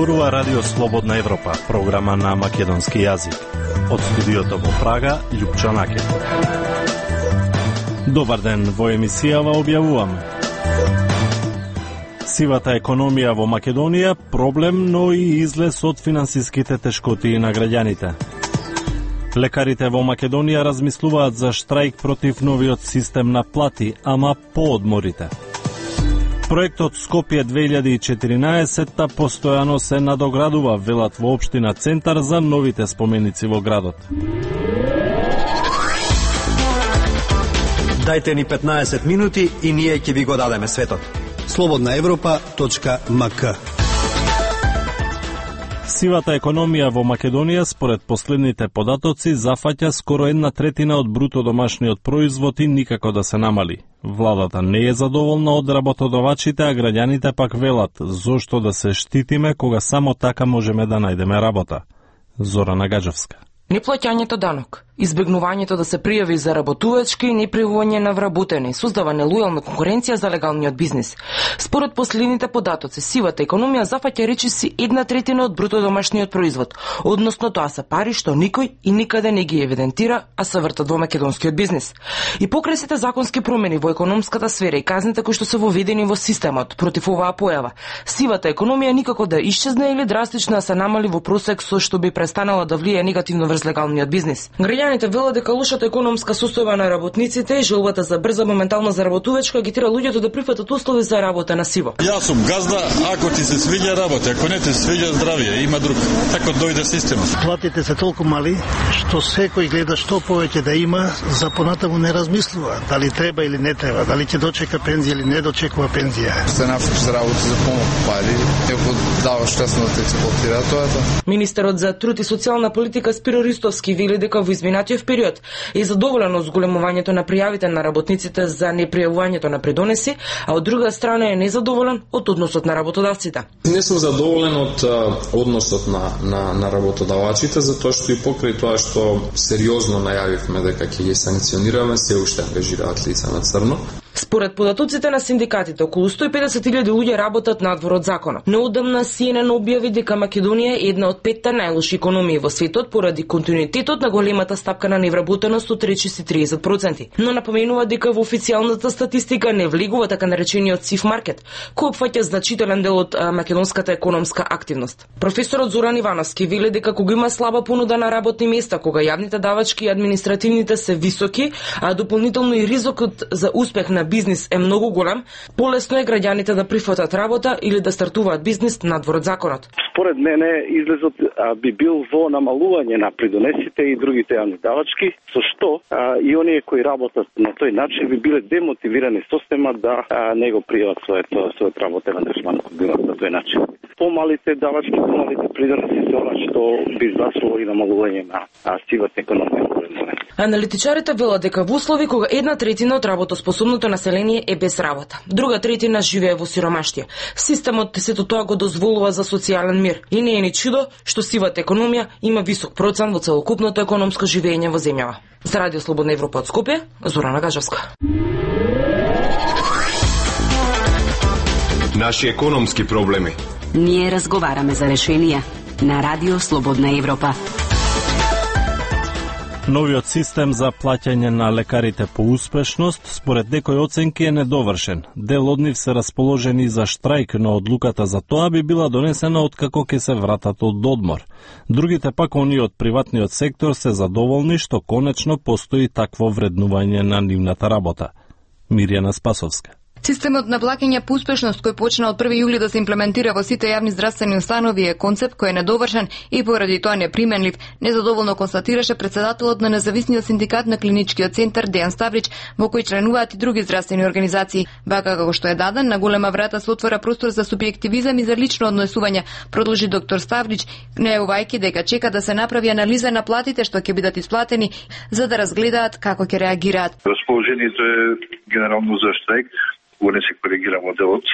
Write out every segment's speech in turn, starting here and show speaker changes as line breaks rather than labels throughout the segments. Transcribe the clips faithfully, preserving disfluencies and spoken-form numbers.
зборува Радио Слободна Европа, програма на македонски јазик. Од студиото во Прага, Љупчо Наке. Добар ден, во емисијава објавуваме. Сивата економија во Македонија проблем, но и излез од финансиските тешкотии на граѓаните. Лекарите во Македонија размислуваат за штрајк против новиот систем на плати, ама по одморите. Проектот Скопје две илјади и четиринаесетта постојано се надоградува, велат во општина Центар за новите споменици во градот.
Дајте ни петнаесет минути и ние ќе ви го дадеме светот.
слободна европа точка ем ка.
Сивата економија во Македонија, според последните податоци, зафаќа скоро една третина од бруто домашниот производ и никако да се намали. Владата не е задоволна од работодавачите, а граѓаните пак велат зошто да се штитиме кога само така можеме да најдеме работа. Зорана Гаджевска.
Неплаќањето данок, избегнувањето да се пријави за работувачки и непријавување на вработени создава нелојална конкуренција за легалниот бизнис. Според последните податоци, сивата економија зафаќа речиси една третина од бруто домашниот производ, односно тоа се пари што никој и никаде не ги евидентира, а се вртат во македонскиот бизнис. И покрај сите законски промени во економската сфера и казните кои што се воведени во системот против оваа појава, сивата економија никако да исчезне или драстично да се намали во просек со што би престанала да влијае негативно врз легалниот бизнис. Граѓаните велат дека лошата економска состојба на работниците и желбата за брза моментална заработувачка ги тера луѓето да прифатат услови за работа на сиво.
Јас сум газда, ако ти се свиѓа работа, ако не ти се свиѓа здравје, има друг. Така дојде системот.
Платите се толку мали што секој гледа што повеќе да има, за понатаму не размислува дали треба или не треба, дали ќе дочека пензија или не дочекува пензија.
Се нафрш за работа за помок пари, ако дава штасно да те експлоатира тоа.
Министерот за труд и социјална политика Спиро Ристовски вели дека во изминатиот период е задоволен од зголемувањето на пријавите на работниците за непријавувањето на придонеси, а од друга страна е незадоволен од односот на работодавците.
Не сум задоволен од а, односот на, на, на работодавачите, затоа што и покрај тоа што сериозно најавивме дека ќе ги санкционираме, се уште ангажираат лица на црно.
Според податоците на синдикатите, околу сто и педесет илјади луѓе работат надвор од законот. Неодамна Си Ен Ен објави дека Македонија е една од петте најлоши економии во светот поради континуитетот на големата стапка на невработеност од речиси триесет проценти. Но напоменува дека во официјалната статистика не влегува така наречениот сив маркет, кој опфаќа значителен дел од а, македонската економска активност. Професорот Зоран Ивановски вели дека кога има слаба понуда на работни места, кога јавните давачки и административните се високи, а дополнително и ризикот за успех на бизнис е многу голем, полесно е граѓаните да прифатат работа или да стартуваат бизнис надвор од законот.
Според мене излезот а, би бил во намалување на придонесите и другите јавни давачки, со што а, и оние кои работат на тој начин би биле демотивирани система да а, не го пријават своето својот работен ангажман на тој начин. Помалите давачки, помалите придонеси се она што би значило и намалување на а, сивата економија.
Аналитичарите велат дека во услови кога една третина од работоспособното население е без работа, друга третина живее во сиромаштија, системот сето тоа го дозволува за социјален мир и не е ни чудо што сивата економија има висок процент во целокупното економско живење во земјава. За Радио Слободна Европа од Скопје, Зорана Гаджевска.
Наши економски проблеми.
Ние разговараме за решенија на Радио Слободна Европа.
Новиот систем за плаќање на лекарите по успешност, според некои оценки, е недовршен. Дел од нив се расположени за штрајк, но одлуката за тоа би била донесена откако ќе се вратат од одмор. Другите пак, оние од приватниот сектор, се задоволни што конечно постои такво вреднување на нивната работа. Мирјана Спасовска.
Системот на плаќање по успешност кој почна од први јули да се имплементира во сите јавни здравствени установи е концепт кој е недовршен и поради тоа неприменлив, незадоволно констатираше председателот на независниот синдикат на клиничкиот центар Дејан Ставрич, во кој членуваат и други здравствени организации. Вака како што е даден, на голема врата се отвора простор за субјективизам и за лично однесување, продолжи доктор Ставрич, најавувајќи дека чека да се направи анализа на платите што ќе бидат исплатени, за да разгледаат како ќе реагираат.
Расположението е генерално за штрајк, кога не се коригира моделот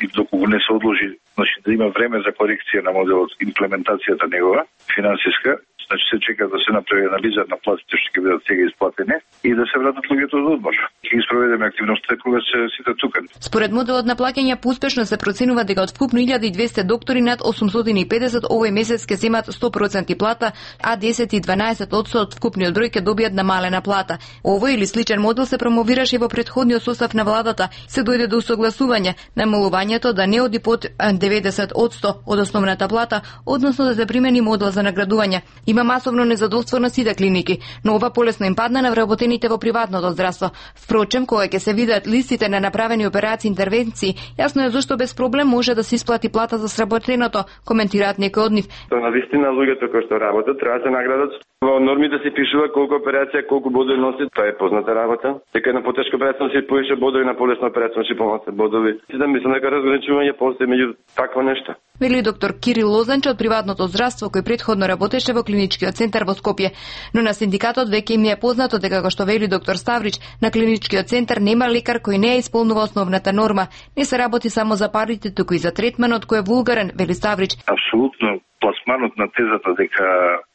и доколку не се одложи, значи да има време за корекција на моделот, имплементацијата негова, финансиска, значи се чека да се направи анализа на платите што ќе бидат сега исплатени и да се вратат луѓето од одмор. ќе ги спроведеме активноста кога се сите тука.
Според моделот на плаќање по успешност се проценува дека од вкупно илјада и двесте доктори над осумстотини и педесет овој месец ќе земат сто проценти плата, а десет и дванаесет одсто од вкупниот број ќе добијат намалена плата. Овој или сличен модел се промовираше во претходниот состав на владата, се дојде до усогласување намалувањето да не оди под деветдесет одсто од основната плата, односно да се примени модел за наградување. Има масовно незадоволство на сите клиники, но ова полесно им падна на вработените во приватното здравство. Впрочем, кога ќе се видат листите на направени операции и интервенции, јасно е зашто без проблем може да се исплати плата за сработеното, коментираат некои од нив.
На вистина луѓето кои што работат треба да се наградат. Во нормите се пишува колку операција, колку бодови носи, тоа е позната работа. Дека на потешка операција се повише бодови, на полесна операција се помалку бодови. Си да мислам дека разграничување постои меѓу такво нешто.
Вели доктор Кирил Лозанче од приватното здравство кој претходно работеше во клиничкиот центар во Скопје, но на синдикатот веќе им е познато дека како што вели доктор Ставрич, на клиничкиот центар нема лекар кој не е исполнува основната норма. Не се работи само за парите, туку и за третманот кој е вулгарен, вели Ставрич.
Апсолутно пласманот на тезата дека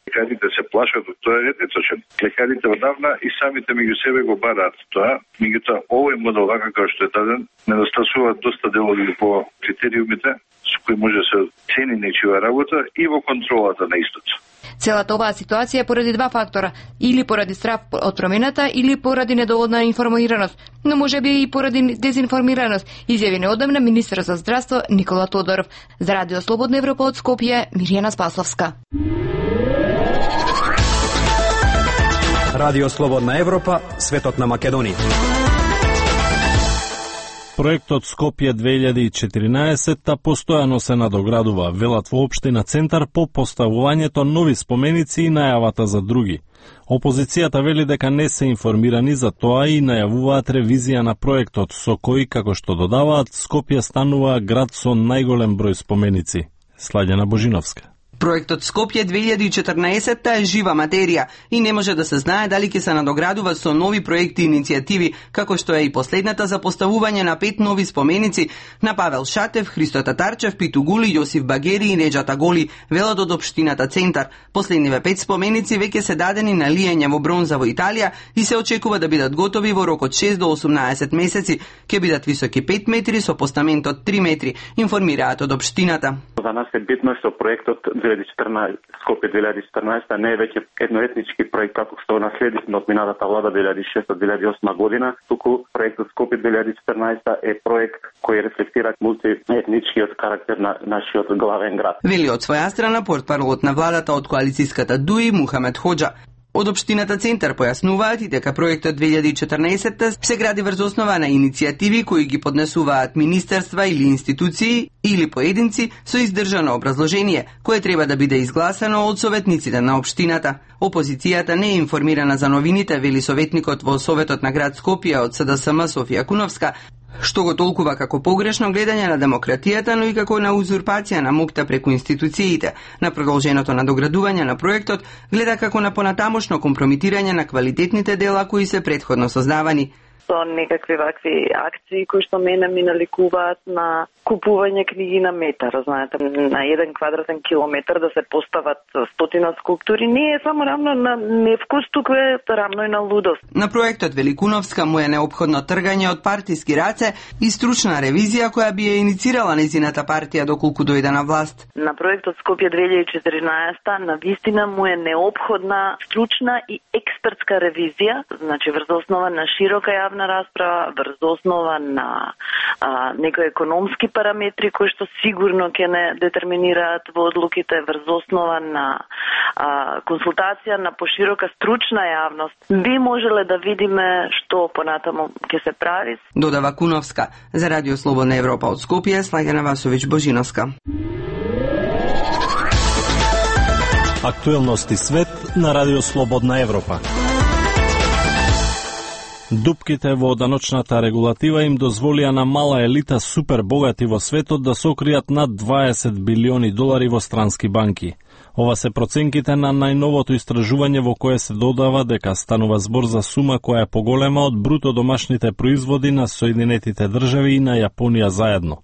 лекарите се плашат од тоа е неточен. Лекарите одавна и самите меѓу себе го бараат тоа, меѓутоа овој модел вака како што е даден недостасуваат доста делови по критериумите со кои може да се цени нечија работа и во контролата на истото.
Целата оваа ситуација е поради два фактора, или поради страв од промената, или поради недоволна информираност, но можеби и поради дезинформираност, изјави неодамна министер за здравство Никола Тодоров. За Радио Слободна Европа од Скопје, Мирјана Спасловска.
Радио Слободна Европа, светот на Македонија.
Проектот Скопје две илјади и четиринаесетта постојано се надоградува, велат во општина Центар по поставувањето нови споменици и најавата за други. Опозицијата вели дека не се информирани за тоа и најавуваат ревизија на проектот, со кој, како што додаваат, Скопје станува град со најголем број споменици. Сладјана Божиновска.
Проектот Скопје две илјади и четрнаесетта е жива материја и не може да се знае дали ќе се надоградува со нови проекти и иницијативи, како што е и последната за поставување на пет нови споменици на Павел Шатев, Христо Татарчев, Питу Гули, Јосиф Багери и Неджата Голи, велат од општината Центар. Последниве пет споменици веќе се дадени на лиење во бронза во Италија и се очекува да бидат готови во рок од шест до осумнаесет месеци. Ќе бидат високи пет метри со постамент од три метри, информираат од општината.
За нас е битно што проектот две илјади и четрнаесетта, Скопје две илјади и четрнаесетта не е веќе едноетнички проект како што наследивме од минатата влада две илјади и шеста до две илјади и осма година, туку проектот Скопје две илјади и четрнаесетта е проект кој рефлектира мултиетничкиот карактер на нашиот главен град.
Вели од своја страна портпаролот на владата од коалицијската ДУИ Мухамед Хоџа. Од општината Центар појаснуваат и дека проектот две илјади и четрнаесетта се гради врз основа на иницијативи кои ги поднесуваат министерства или институции или поединци со издржано образложение, кое треба да биде изгласано од советниците на општината. Опозицијата не е информирана за новините, вели советникот во Советот на град Скопје од СДСМ Софија Куновска, што го толкува како погрешно гледање на демократијата, но и како на узурпација на МУКТА преку институциите. На продолженото надоградување на проектот гледа како на понатамошно компрометирање на квалитетните дела кои се претходно создавани.
Со некакви вакви акции кои што мене ми наликуваат на купување книги на метар, знаете, на еден квадратен километар да се постават стотина скулптури, не е само рамно на невкус, туку е рамно и на лудост.
На проектот Великуновска му е неопходно тргање од партиски раце и стручна ревизија која би ја иницирала незината партија доколку дојде на власт.
На проектот Скопје две илјади и четиринаесетта на вистина му е неопходна стручна и експертска ревизија, значи врз основа на широка јавна расправа, врз основа на а, некои економски параметри кои што сигурно ќе не детерминираат во одлуките, врз основа на а, консултација на поширока стручна јавност, би можеле да видиме што понатаму ќе се прави.
Додава Куновска. За Радио Слободна Европа од Скопје, Слагана Васовиќ Божиновска.
Актуелности свет на Радио Слободна Европа. Дупките во даночната регулатива им дозволија на мала елита супер богати во светот да сокријат над дваесет билиони долари во странски банки. Ова се проценките на најновото истражување во кое се додава дека станува збор за сума која е поголема од бруто домашните производи на Соединетите држави и на Јапонија заедно.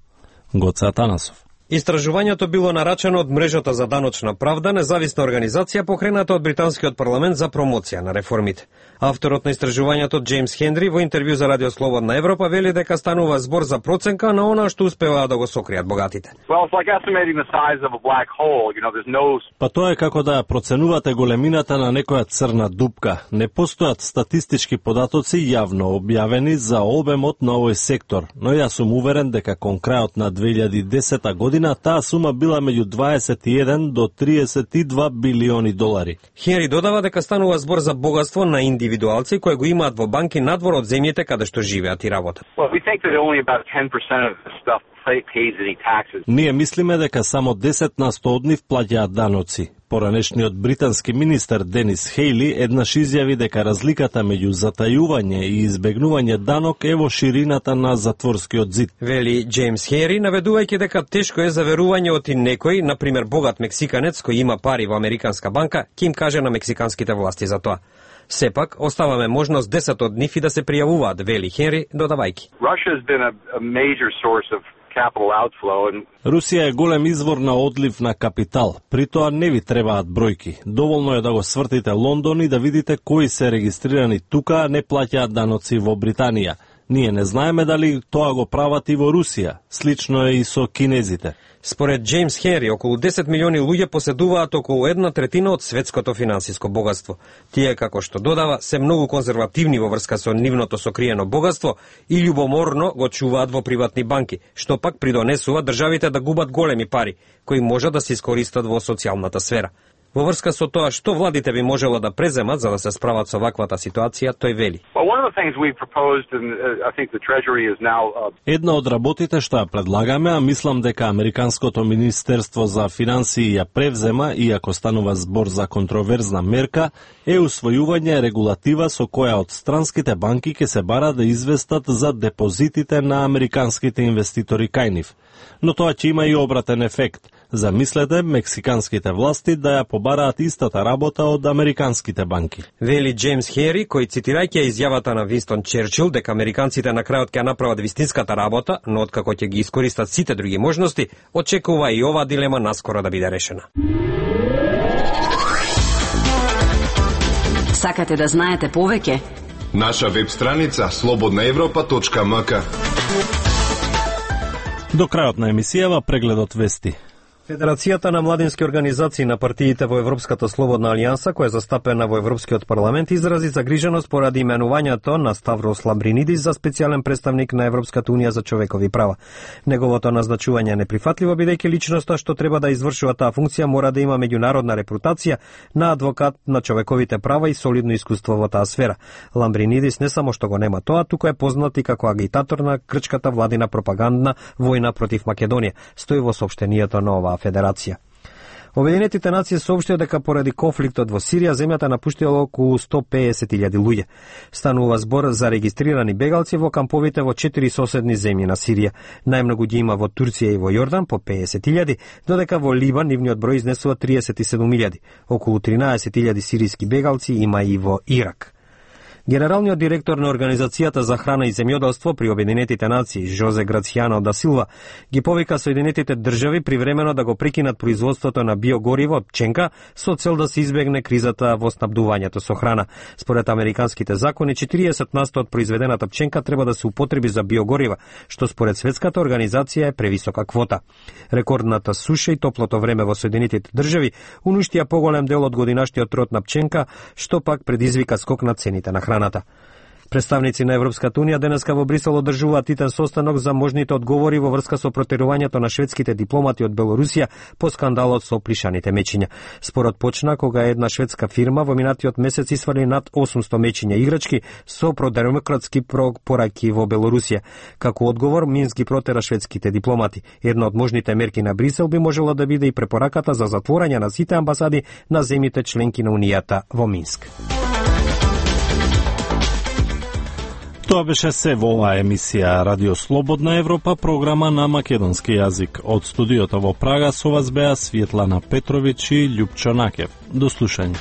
Гоце Атанасов.
Истражувањето било нарачено од мрежата за даночна правда, независна организација покрената од британскиот парламент за промоција на реформите. Авторот на истражувањето Джеймс Хенри во интервју за Радио Слободна Европа вели дека станува збор за проценка на она што успеваат да го сокријат богатите.
Well, it's like estimating the size of a black hole. You know, there's no...
Па тоа е како да проценувате големината на некоја црна дупка. Не постојат статистички податоци јавно објавени за обемот на овој сектор, но јас сум уверен дека кон крајот на две илјади и десета година таа сума била меѓу дваесет и еден до триесет и два билиони долари.
Хенри додава дека станува збор за богатство на индивидуалци кои го имаат во банки надвор од земјите каде што живеат и работат.
Well, we think that only about ten percent of the stuff pays any taxes.
Ние мислиме дека само десет на сто од нив плаќаат даноци. Поранешниот британски министер Денис Хејли еднаш изјави дека разликата меѓу затајување и избегнување данок е во ширината на затворскиот зид.
Вели Джеймс Хенри, наведувајќи дека тешко е за верување од некој, на пример богат мексиканец кој има пари во американска банка, ќе им каже на мексиканските власти за тоа. Сепак, оставаме можност десет од нив и да се пријавуваат, вели Хенри, додавајќи.
Русија е голем извор на одлив на капитал, при тоа не ви требаат бројки. Доволно е да го свртите Лондон и да видите кои се регистрирани тука, а не плаќаат даноци во Британија. Ние не знаеме дали тоа го прават и во Русија. Слично е и со кинезите.
Според Джеймс Хенри, околу десет милиони луѓе поседуваат околу една третина од светското финансиско богатство. Тие, како што додава, се многу конзервативни во врска со нивното сокриено богатство и љубоморно го чуваат во приватни банки, што пак придонесува државите да губат големи пари, кои може да се искористат во социјалната сфера. Во врска со тоа што владите би можело да преземат за да се справат со ваквата ситуација, тој вели.
Една од работите што ја предлагаме, а мислам дека Американското министерство за финансии ја превзема, иако станува збор за контроверзна мерка, е усвојување регулатива со која од странските банки ќе се бара да известат за депозитите на американските инвеститори кај нив. Но тоа ќе има и обратен ефект. Замислете мексиканските власти да ја побараат истата работа од американските банки.
Вели Джеймс Хенри, кој цитирајќи изјавата на Винстон Черчил дека американците на крајот ќе направат вистинската работа, но откако ќе ги искористат сите други можности, очекува и оваа дилема наскоро да биде решена.
Сакате да знаете повеќе?
Наша веб страница слободна европа точка ем ка.
До крајот на емисијава прегледот вести.
Федерацијата на младински организации на партиите во Европската слободна алијанса, која е застапена во Европскиот парламент, изрази загриженост поради именувањето на Ставрос Ламбринидис за специјален представник на Европската унија за човекови права. Неговото назначување е неприфатливо, бидејќи личноста што треба да извршува таа функција мора да има меѓународна репутација на адвокат на човековите права и солидно искуство во таа сфера. Ламбринидис не само што го нема тоа, туку е познат и како агитатор на грчката владина пропагандна војна против Македонија, стои во соопштението на оваа федерација. Обединетите нации соопштија дека поради конфликтот во Сирија земјата напуштила околу сто пеесет илјади луѓе. Станува збор за регистрирани бегалци во камповите во четири соседни земји на Сирија. Најмногу ги има во Турција и во Јордан по пеесет илјади, додека во Либан нивниот број изнесува триесет и седум илјади. Околу тринаесет илјади сириски бегалци има и во Ирак. Генералниот директор на Организацијата за храна и земјоделство при Обединетите нации, Жозе Грацијано да Силва, ги повика Соединетите држави привремено да го прекинат производството на биогориво од пченка со цел да се избегне кризата во снабдувањето со храна. Според американските закони, четириесет на сто од произведената пченка треба да се употреби за биогорива, што според Светската организација е превисока квота. Рекордната суша и топлото време во Соединетите држави уништија поголем дел од годинашниот род на пченка, што пак предизвика скок на цените на храна. Представници на Европската унија денеска во Брисел одржуваат титен состанок за можните одговори во врска со протерувањето на шведските дипломати од Белорусија по скандалот со плишаните мечиња. Спорот почна кога една шведска фирма во минатиот месец исфрли над осумсто мечиња играчки со продемократски пораки во Белорусија. Како одговор, Минск ги протера шведските дипломати. Една од можните мерки на Брисел би можела да биде и препораката за затворање на сите амбасади на земјите членки на Унијата во Минск.
Тоа беше се во оваа емисија Радио Слободна Европа, програма на македонски јазик. Од студиото во Прага со вас беа Светлана Петровиќ и Љупчо Накев. До слушање.